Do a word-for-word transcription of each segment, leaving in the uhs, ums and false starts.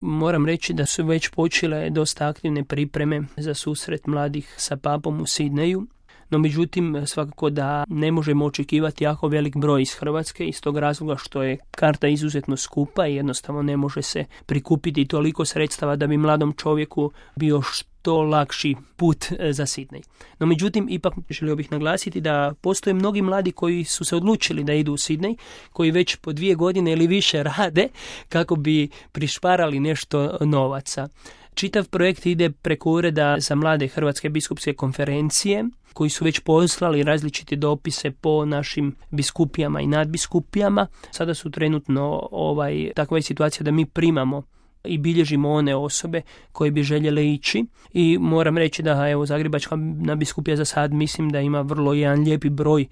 Moram reći da su već počele dosta aktivne pripreme za susret mladih sa papom u Sidneju. No međutim, svakako da ne možemo očekivati jako velik broj iz Hrvatske iz tog razloga što je karta izuzetno skupa i jednostavno ne može se prikupiti toliko sredstava da bi mladom čovjeku bio što lakši put za Sidnej. No međutim, ipak želio bih naglasiti da postoje mnogi mladi koji su se odlučili da idu u Sidnej, koji već po dvije godine ili više rade kako bi prišparali nešto novaca. Čitav projekt ide preko Ureda za mlade Hrvatske biskupske konferencije, koji su već poslali različite dopise po našim biskupijama i nadbiskupijama. Sada su trenutno ovaj, takva je situacija da mi primamo i bilježimo one osobe koje bi željele ići i moram reći da evo Zagrebačka nadbiskupija za sad mislim da ima vrlo jedan lijepi broj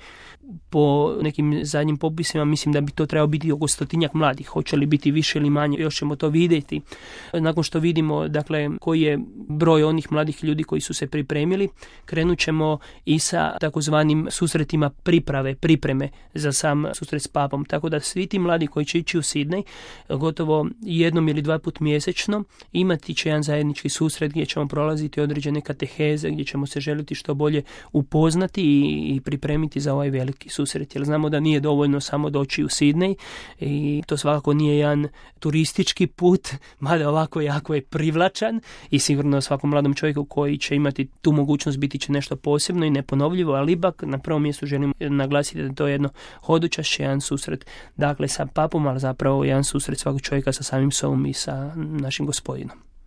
po nekim zadnjim popisima, mislim da bi to trebalo biti oko stotinjak mladih, hoće li biti više ili manje, još ćemo to vidjeti. Nakon što vidimo dakle koji je broj onih mladih ljudi koji su se pripremili, krenut ćemo i sa takozvanim susretima priprave, pripreme za sam susret s papom, tako da svi ti mladi koji će ići u Sidnej gotovo jednom ili dva put mjesečno imati će jedan zajednički susret gdje ćemo prolaziti određene kateheze, gdje ćemo se želiti što bolje upoznati i, i pripremiti za ovaj veliki susret. Jer znamo da nije dovoljno samo doći u Sidnej i to svakako nije jedan turistički put, mada ovako jako je privlačan i sigurno svakom mladom čovjeku koji će imati tu mogućnost biti će nešto posebno i neponovljivo, ali ipak na prvom mjestu želim naglasiti da to je jedno hodočašće, jedan susret dakle sa papom, ali zapravo jedan susret svakog čovjeka sa samim sobom i sa našim Gospodinom.